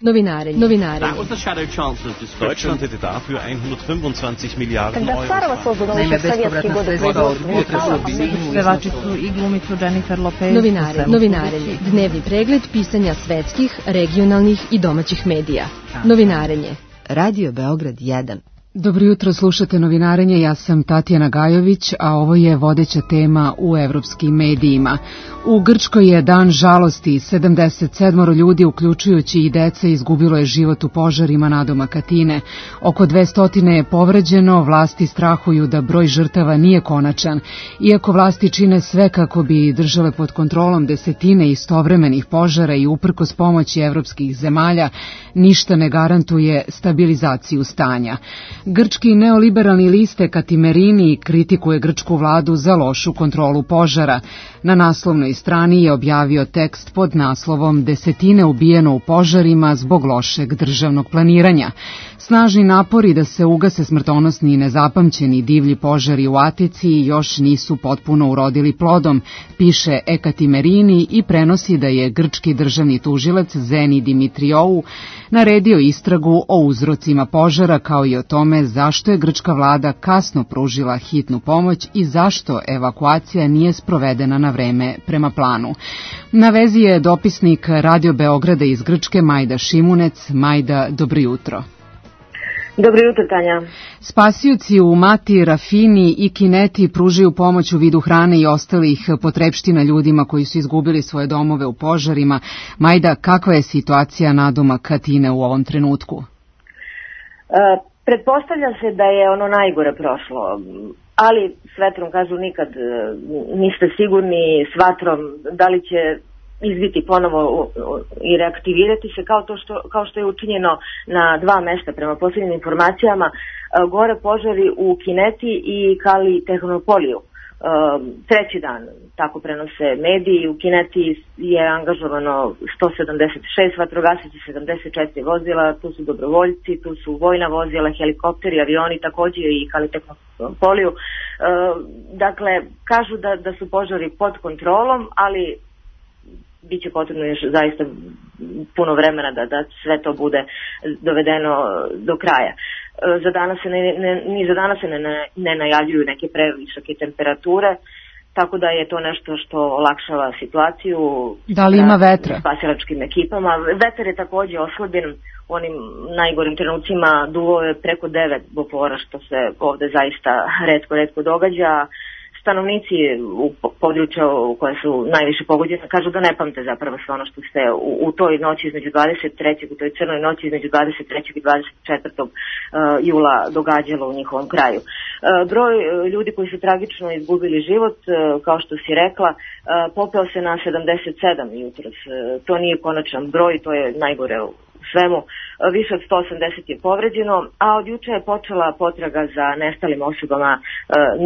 Novinari. That was the shadow chancellor's description. Deutschland hätte dafür 125 Milijarden Когда Царова создана еще в советские годы Pevačicu i glumicu Jennifer Lopez. Novinarenje. Dnevni pregled pisanja svetskih, regionalnih i domaćih medija. Novinarenje. Radio Beograd 1. Dobro jutro, slušate Novinarenje, ja sam Tatjana Gajović, a ovo je vodeća tema u evropskim medijima. U Grčkoj je dan žalosti, 77 ljudi, uključujući i dece, izgubilo je život u požarima nadomak Atine. Oko 200 je povređeno, vlasti strahuju da broj žrtava nije konačan. Iako vlasti čine sve kako bi držale pod kontrolom desetine istovremenih požara i uprkos pomoći evropskih zemalja, ništa ne garantuje stabilizaciju stanja. Grčki neoliberalni list Ekatimerini kritikuje grčku vladu za lošu kontrolu požara. Na naslovnoj strani je objavio tekst pod naslovom "Desetine ubijeno u požarima zbog lošeg državnog planiranja". Snažni napori da se ugase smrtonosni i nezapamćeni divlji požari u Atici još nisu potpuno urodili plodom, piše Ekatimerini i prenosi da je grčki državni tužilac Zeni Dimitriou naredio istragu o uzrocima požara kao i o tome zašto je grčka vlada kasno pružila hitnu pomoć i zašto evakuacija nije sprovedena na vreme prema planu. Na vezi je dopisnik Radio Beograda iz Grčke Majda Šimunec. Majda, dobro jutro. Dobro jutro, Tanja. Spasioci u Mati, Rafini i Kineti pružaju pomoć u vidu hrane i ostalih potrepština ljudima koji su izgubili svoje domove u požarima. Majda, kakva je situacija nadomak Atine u ovom trenutku? Pretpostavlja se da je ono najgore prošlo, ali s vetrom kažu nikad niste sigurni, s vatrom da li će izbiti ponovo i reaktivirati se kao što je učinjeno na dva mesta prema posljednjim informacijama, gore požari u Kineti i Kali Tehnopoliju. Treći dan, tako prenose mediji, u Kineti je angažovano 176 vatrogasaca, 74 vozila, tu su dobrovoljci, tu su vojna vozila, helikopteri, avioni, također i Kali Tehnopoliju. Dakle, kažu da su požari pod kontrolom, ali biće potrebno još zaista puno vremena da sve to bude dovedeno do kraja. Za danas se ne najavljuju neke previsoke temperature, tako da je to nešto što olakšava situaciju. Da li ima vetra? Spasilačkim ekipama. Vetar je također oslabljen u onim najgorim trenucima, duvo je preko 9 bofora, što se ovde zaista retko događa. Stanovnici u području koje su najviše pogođene kažu da ne pamte zapravo sve ono što se u toj noći između 23. u toj crnoj noći između 23. i 24. jula događalo u njihovom kraju. Broj ljudi koji su tragično izgubili život, kao što si rekla, popeo se na 77 jutros. To nije konačan broj, to je najgore u svemu. Više od 180 je povređeno, a od juče je počela potraga za nestalim osobama.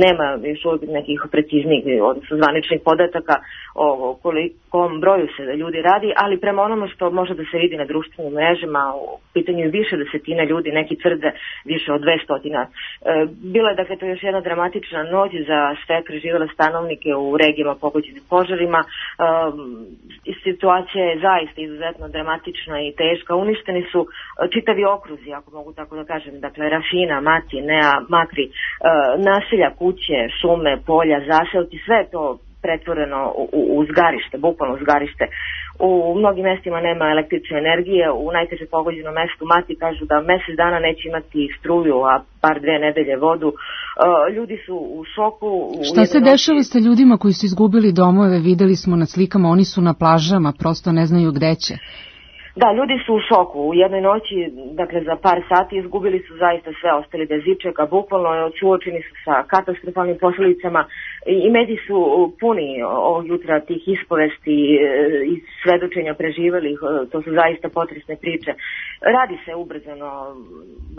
Nema još uvijek nekih preciznijih, odnosno zvaničnih podataka o kolikom broju se ljudi radi, ali prema onome što može da se vidi na društvenim mrežama, u pitanju više desetine ljudi, neki tvrde više od 200. Bila je, dakle, to još jedna dramatična noć za sve preživele stanovnike u regijama pogođenim požarima. Situacija je zaista izuzetno dramatična i teška. Uništeni su čitavi okruzi, ako mogu tako da kažem, dakle Rafina, Mati, Nea, Makri, naselja, kuće, šume, polja, zaselci, sve je to pretvoreno u zgarište, bukvalno zgarište. U mnogim mestima nema električne energije, u najteže pogođenom mestu Mati kažu da mesec dana neće imati struju, a par 2 nedelje vodu. Ljudi su u šoku. Šta se dešava sa ljudima koji su izgubili domove? Videli smo na slikama, oni su na plažama, prosto ne znaju gde će. Da, ljudi su u šoku. U jednoj noći, dakle za par sati, izgubili su zaista sve, ostali bez ičega, bukvalno suočeni su sa katastrofalnim posljedicama i mediji su puni ovog jutra tih ispovesti i svedočenja preživelih. To su zaista potresne priče. Radi se ubrzano,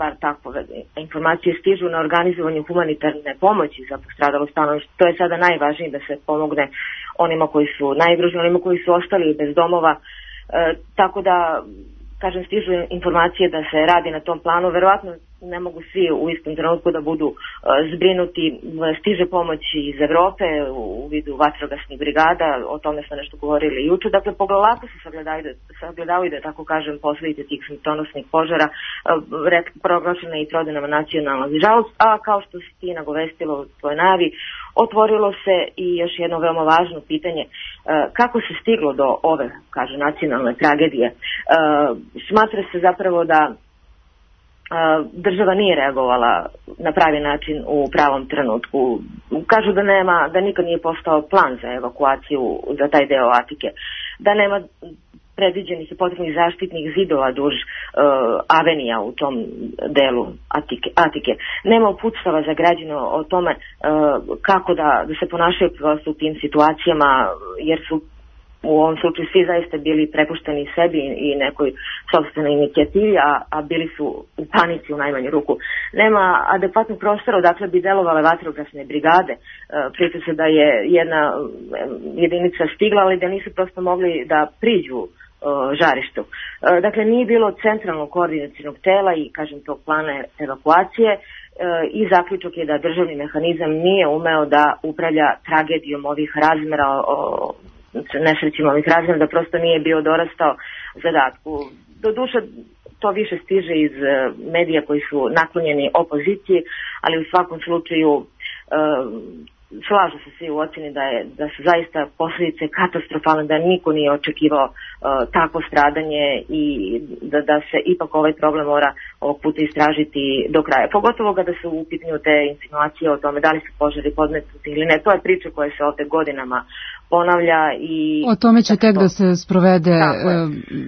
bar takve informacije stižu na organizovanju humanitarne pomoći za postradalo stanovništvo. To je sada najvažnije, da se pomogne onima koji su najugroženiji, onima koji su ostali bez domova. Tako da, kažem, stižu informacije da se radi na tom planu. Verovatno ne mogu svi u istom trenutku da budu zbrinuti. Stiže pomoć iz Evrope u vidu vatrogasnih brigada, o tome smo nešto govorili juče. Dakle, polako se sagledavaju, da tako kažem, posledice tih smrtonosnih požara, proglašena i trodenama nacionalna žalost, a kao što si ti nagovestilo u tvojoj najavi, otvorilo se i još jedno veoma važno pitanje, kako se stiglo do ove, kaže, nacionalne tragedije. Smatra se zapravo da država nije reagovala na pravi način u pravom trenutku. Kažu da nikad nije postao plan za evakuaciju za taj deo Atike, da nema predviđenih i potrebnih zaštitnih zidova duž avenija u tom delu Atike. Nema uputstava za građane o tome kako da se ponašaju u tim situacijama, jer su u ovom slučaju svi zaista bili prepušteni sebi i nekoj sopstvenoj inicijativi, a bili su u panici u najmanju ruku. Nema adekvatnog prostora odakle bi delovale vatrogasne brigade. Priča se da je jedna jedinica stigla, ali da nisu prosto mogli da priđu žarištu. Dakle, nije bilo centralnog koordinacionog tela i, kažem, tog plana evakuacije i zaključak je da državni mehanizam nije umeo da upravlja tragedijom ovih razmera, nesrećima ovih razmera, da prosto nije bio dorastao zadatku. Doduše, to više stiže iz medija koji su naklonjeni opoziciji, ali u svakom slučaju slažu se svi u ocjeni da su zaista posljedice katastrofalne, da niko nije očekivao takvo stradanje i da se ipak ovaj problem mora ovog puta istražiti do kraja. Pogotovo kada su u pitanju te insinuacije o tome da li su požari podmetnuti ili ne. To je priča koja se ovdje godinama ponavlja i... O tome će tek da se sprovede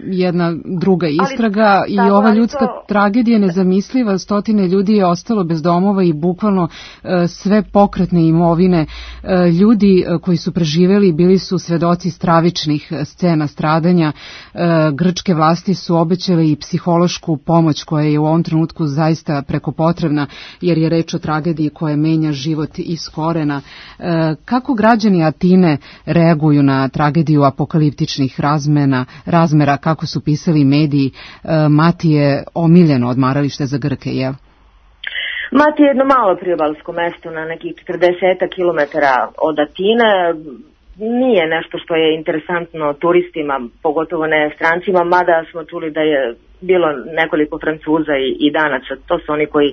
jedna druga istraga i ova ljudska tragedija nezamisliva. Stotine ljudi je ostalo bez domova i bukvalno sve pokretne imovine. Ljudi koji su preživeli bili su svedoci stravičnih scena stradanja. Grčke vlasti su obećale i psihološku pomoć koja je u ovom trenutku zaista preko potrebna, jer je reč o tragediji koja menja život iz korena. Kako građani Atine reaguju na tragediju apokaliptičnih razmera, kako su pisali mediji? Mati je omiljeno odmaralište za Grke, je? Mati je jedno malo priobalsko mesto na nekih 40 kilometara od Atine. Nije nešto što je interesantno turistima, pogotovo ne strancima, mada smo čuli da je bilo nekoliko Francuza i Danaca, to su oni koji...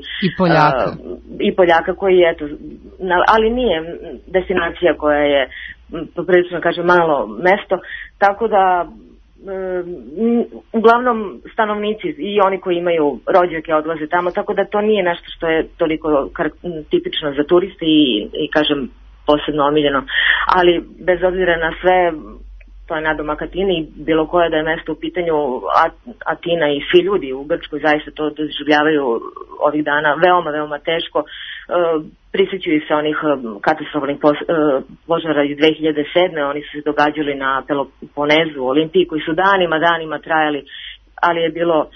I Poljaka koji, eto, ali nije destinacija koja je poprilično, kažem, malo mesto, tako da uglavnom stanovnici i oni koji imaju rođake odlaze tamo, tako da to nije nešto što je toliko tipično za turiste i kažem, posebno omiljeno, ali bez obzira na sve, to je nadomak Atine i bilo koje da je mesto u pitanju, Atina i svi ljudi u Grčkoj zaista to doživljavaju ovih dana veoma, veoma teško. Prisjećaju se onih katastrofalnih požara iz 2007. Oni su se događali na Peloponezu, Olimpiji, koji su danima trajali, ali je bilo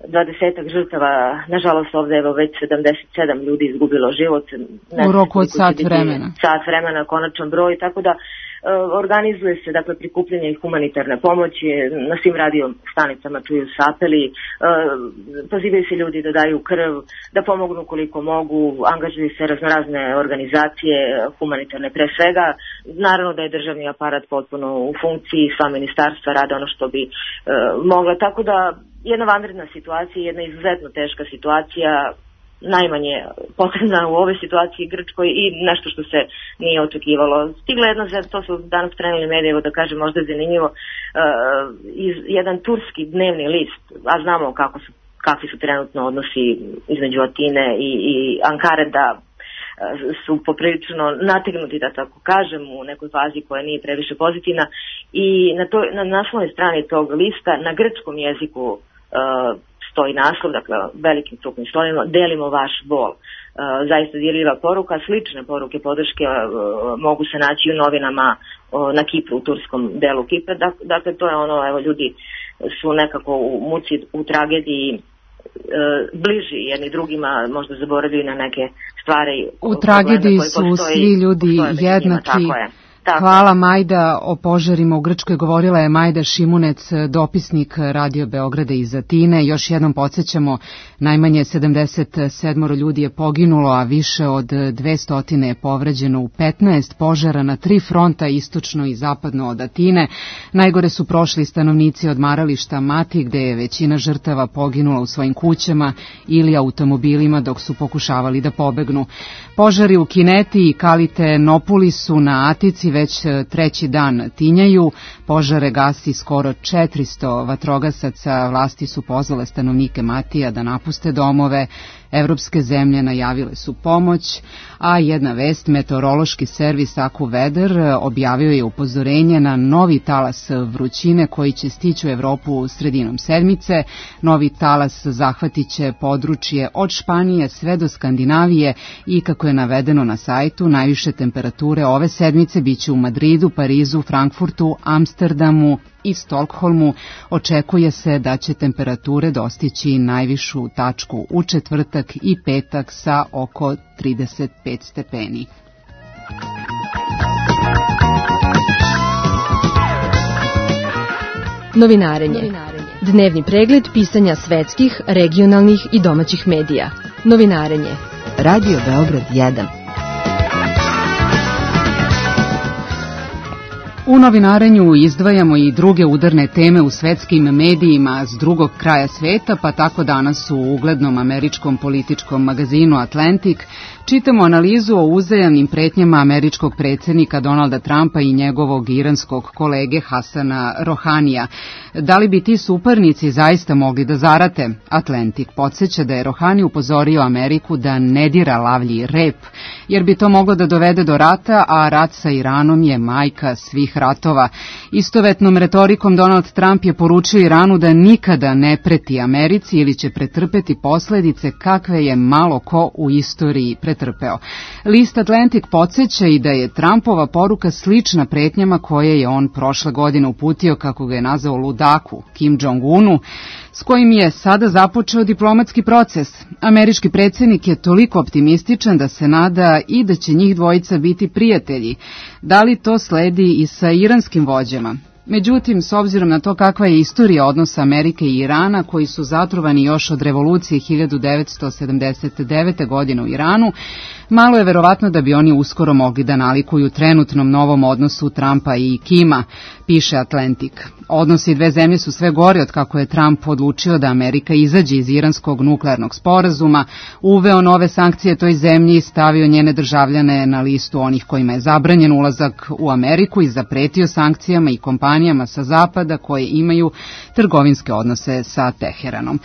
20 žrtava. Nažalost, ovdje je već 77 ljudi izgubilo život. U roku od sat vremena. Sat vremena, konačan broj, tako da organizuje se, dakle, prikupljanje humanitarne pomoći, na svim radio stanicama čuju se apeli, pozivaju se ljudi da daju krv, da pomognu koliko mogu, angažuju se raznorazne organizacije humanitarne pre svega. Naravno da je državni aparat potpuno u funkciji, sva ministarstva rade ono što bi mogla, tako da jedna vanredna situacija, jedna izuzetno teška situacija, najmanje potrebna u ovoj situaciji Grčkoj i nešto što se nije očekivalo. Stigla jedna, to su danas preneli medijevo, da kažem možda zanimljivo, jedan turski dnevni list, a znamo kakvi su trenutno odnosi između Atine i Ankare, da su poprilično nategnuti, da tako kažem, u nekoj fazi koja nije previše pozitivna, i na naslovnoj strani tog lista na grčkom jeziku stoji naslov, dakle velikim krupnim slovima, delimo vaš bol. Zaista dirljiva poruka, slične poruke podrške mogu se naći u novinama na Kipru, u turskom delu Kipra. Dakle, to je ono, evo, ljudi su nekako u muci, u tragediji, bliži jedni drugima, možda zaboravili na neke stvari. U tragediji su svi ljudi jednaki. Hvala Majda. O požarima u Grčkoj govorila je Majda Šimunec, dopisnik Radio Beograda iz Atine. Još jednom podsjećamo, najmanje 77 ljudi je poginulo, a više od 200 je povređeno u 15 požara na 3 fronta, istočno i zapadno od Atine. Najgore su prošli stanovnici odmarališta Mati, gde je većina žrtava poginula u svojim kućama ili automobilima dok su pokušavali da pobegnu. Požari u Kineti i Kalite-Nopulisu na Atici već 3. dan tinjaju. Požare gasi skoro 400 vatrogasaca. Vlasti su pozvale stanovnike Matija da napuste domove. Evropske zemlje najavile su pomoć, a jedna vest, meteorološki servis AccuWeather objavio je upozorenje na novi talas vrućine koji će stići u Evropu sredinom sedmice. Novi talas zahvatiće područje od Španije sve do Skandinavije i, kako je navedeno na sajtu, najviše temperature ove sedmice biće u Madridu, Parizu, Frankfurtu, Amsterdamu i Stokholmu. Očekuje se da će temperature dostići najvišu tačku u četvrtak i petak sa oko 35 stepeni. Novinarenje. Dnevni pregled pisanja svetskih, regionalnih i domaćih medija. Novinarenje. Radio Beograd 1. U novinarenju izdvajamo i druge udarne teme u svetskim medijima s drugog kraja sveta, pa tako danas u uglednom američkom političkom magazinu Atlantic čitamo analizu o uzajamnim pretnjama američkog predsjednika Donalda Trumpa i njegovog iranskog kolege Hasana Rohanija. Da li bi ti suparnici zaista mogli da zarate? Atlantic podsjeća da je Rohani upozorio Ameriku da ne dira lavlji rep, jer bi to moglo da dovede do rata, a rat sa Iranom je majka svih ratova. Istovetnom retorikom Donald Trump je poručio Iranu da nikada ne preti Americi ili će pretrpeti posledice kakve je malo ko u istoriji pretrpeo. List Atlantic podsjeća i da je Trumpova poruka slična pretnjama koje je on prošle godine uputio, kako ga je nazvao, ludaku Kim Jong-unu, s kojim je sada započeo diplomatski proces. Američki predsjednik je toliko optimističan da se nada i da će njih dvojica biti prijatelji. Da li to sledi i sa iranskim vođama? Međutim, s obzirom na to kakva je istorija odnosa Amerike i Irana, koji su zatrovani još od revolucije 1979. godine u Iranu, malo je verovatno da bi oni uskoro mogli da nalikuju trenutnom novom odnosu Trumpa i Kima, piše Atlantic. Odnosi dve zemlje su sve gori od kako je Trump odlučio da Amerika izađe iz iranskog nuklearnog sporazuma, uveo nove sankcije toj zemlji i stavio njene državljane na listu onih kojima je zabranjen ulazak u Ameriku i zapretio sankcijama i kompanijama sa zapada koje imaju trgovinske odnose sa Teheranom.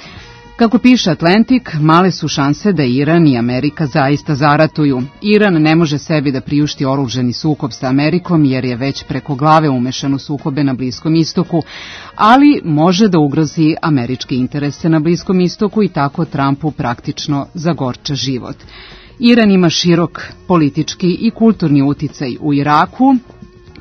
Kako piše Atlantic, male su šanse da Iran i Amerika zaista zaratuju. Iran ne može sebi da priušti oružani sukob sa Amerikom jer je već preko glave umešan u sukobe na Bliskom istoku, ali može da ugrozi američke interese na Bliskom istoku i tako Trumpu praktično zagorča život. Iran ima širok politički i kulturni uticaj u Iraku,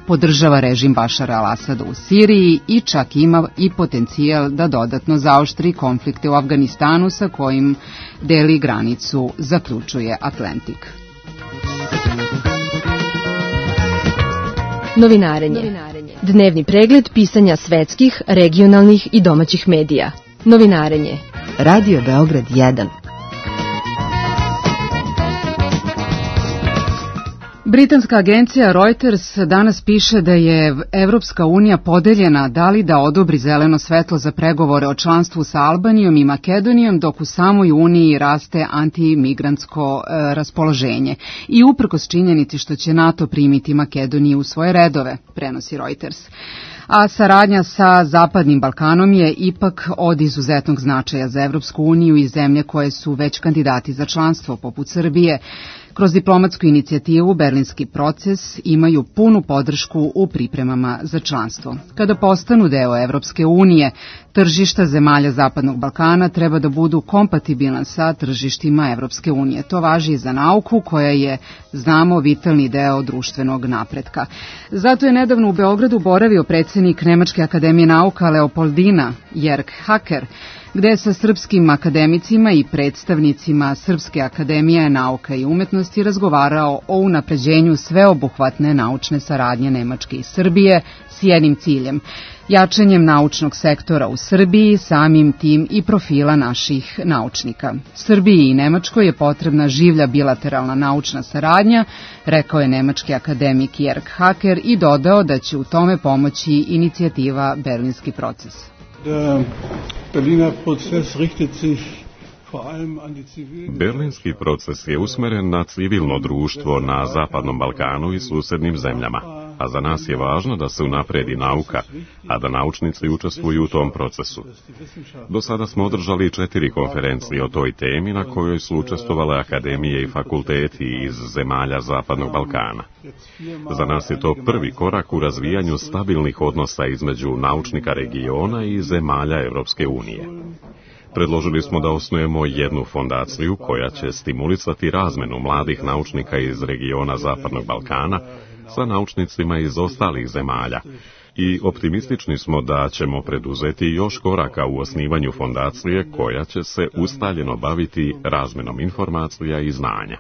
podržava režim Bašara al-Asada u Siriji i čak ima i potencijal da dodatno zaoštri konflikte u Afganistanu sa kojim deli granicu, zaključuje Atlantic. Novinarenje. Dnevni pregled pisanja svetskih, regionalnih i domaćih medija. Novinarenje. Radio Beograd 1. Britanska agencija Reuters danas piše da je Evropska unija podeljena da li da odobri zeleno svetlo za pregovore o članstvu sa Albanijom i Makedonijom, dok u samoj uniji raste antimigrantsko raspoloženje. I uprkos činjenici što će NATO primiti Makedoniju u svoje redove, prenosi Reuters. A saradnja sa Zapadnim Balkanom je ipak od izuzetnog značaja za Evropsku uniju i zemlje koje su već kandidati za članstvo, poput Srbije. Kroz diplomatsku inicijativu Berlinski proces imaju punu podršku u pripremama za članstvo. Kada postanu deo Evropske unije, tržišta zemalja Zapadnog Balkana treba da budu kompatibilna sa tržištima Evropske unije. To važi i za nauku, koja je, znamo, vitalni deo društvenog napretka. Zato je nedavno u Beogradu boravio predsjednik Nemačke akademije nauka Leopoldina Jörg Hacker. gde je sa srpskim akademicima i predstavnicima Srpske akademije nauka i umetnosti razgovarao o unapređenju sveobuhvatne naučne saradnje Nemačke i Srbije s jednim ciljem – jačanjem naučnog sektora u Srbiji, samim tim i profila naših naučnika. Srbiji i Nemačkoj je potrebna življa bilateralna naučna saradnja, rekao je nemački akademik Jörg Hacker i dodao da će u tome pomoći inicijativa Berlinski proces. Berlinski proces je usmeren na civilno društvo na Zapadnom Balkanu i susednim zemljama, a za nas je važno da se unapredi nauka, a da naučnici učestvuju u tom procesu. Do sada smo održali 4 konferencije o toj temi na kojoj su učestvovale akademije i fakulteti iz zemalja Zapadnog Balkana. Za nas je to prvi korak u razvijanju stabilnih odnosa između naučnika regiona i zemalja Europske unije. Predložili smo da osnujemo jednu fondaciju koja će stimulisati razmenu mladih naučnika iz regiona Zapadnog Balkana sa naučnicima iz ostalih zemalja i optimistični smo da ćemo preduzeti još koraka u osnivanju fondacije koja će se ustaljeno baviti razmenom informacija i znanja.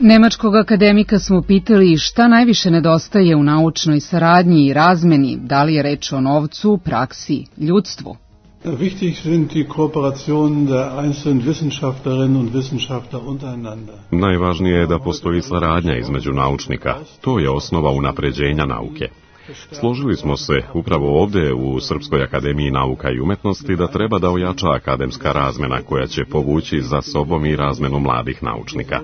Nemačkog akademika smo pitali šta najviše nedostaje u naučnoj saradnji i razmeni, da li je reč o novcu, praksi, ljudstvu. Najvažnije je da postoji saradnja između naučnika. To je osnova unapređenja nauke. Složili smo se upravo ovdje u Srpskoj akademiji nauka i umetnosti da treba da ojača akademska razmena koja će povući za sobom i razmenu mladih naučnika.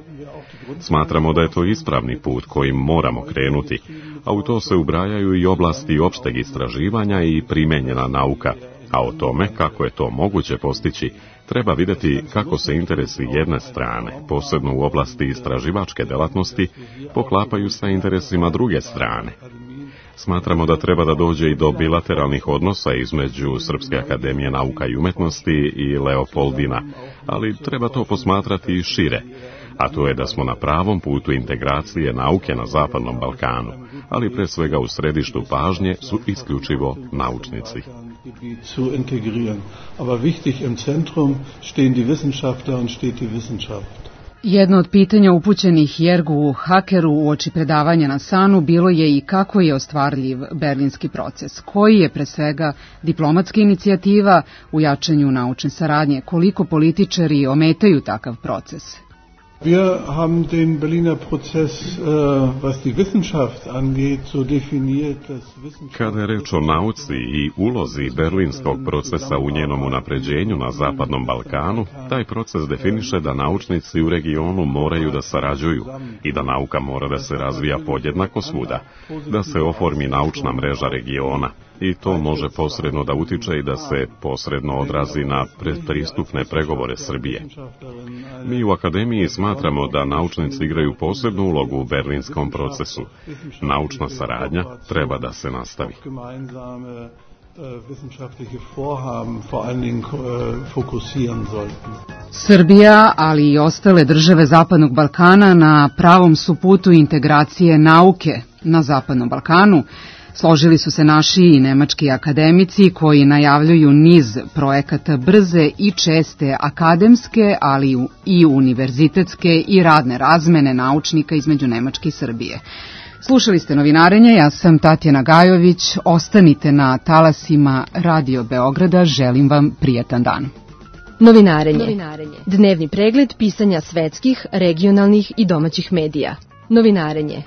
Smatramo da je to ispravni put kojim moramo krenuti, a u to se ubrajaju i oblasti opšteg istraživanja i primenjena nauka, a o tome kako je to moguće postići treba vidjeti kako se interesi jedne strane, posebno u oblasti istraživačke delatnosti, poklapaju sa interesima druge strane. Smatramo da treba da dođe i do bilateralnih odnosa između Srpske akademije nauka i umetnosti i Leopoldina, ali treba to posmatrati i šire, a to je da smo na pravom putu integracije nauke na Zapadnom Balkanu, ali pre svega u središtu pažnje su isključivo naučnici. Jedno od pitanja upućenih Jörgu Hackeru uoči predavanja na SANU bilo je i kako je ostvarljiv Berlinski proces, koji je pre svega diplomatska inicijativa u jačanju naučne saradnje, koliko političari ometaju takav proces. Wir haben den Berliner Prozess, was die Wissenschaft angeht, so definiert, dass Wissenschaft... Kada je reč o nauci i ulozi berlinskog procesa u njenom unapređenju na Zapadnom Balkanu, taj proces definiše da naučnici u regionu moraju da sarađuju i da nauka mora da se razvija podjednako svuda, da se oformi naučna mreža regiona. I to može posredno da utiče i da se posredno odrazi na predpristupne pregovore Srbije. Mi u akademiji smatramo da naučnici igraju posebnu ulogu u berlinskom procesu. Naučna saradnja treba da se nastavi. Srbija, ali i ostale države Zapadnog Balkana na pravom su putu integracije nauke na Zapadnom Balkanu. Složili su se naši i nemački akademici koji najavljuju niz projekata brze i česte akademske, ali i univerzitetske i radne razmene naučnika između Nemačke i Srbije. Slušali ste Novinarenje, ja sam Tatjana Gajović, ostanite na talasima Radio Beograda, želim vam prijatan dan. Novinarenje. Dnevni pregled pisanja svetskih, regionalnih i domaćih medija. Novinarenje.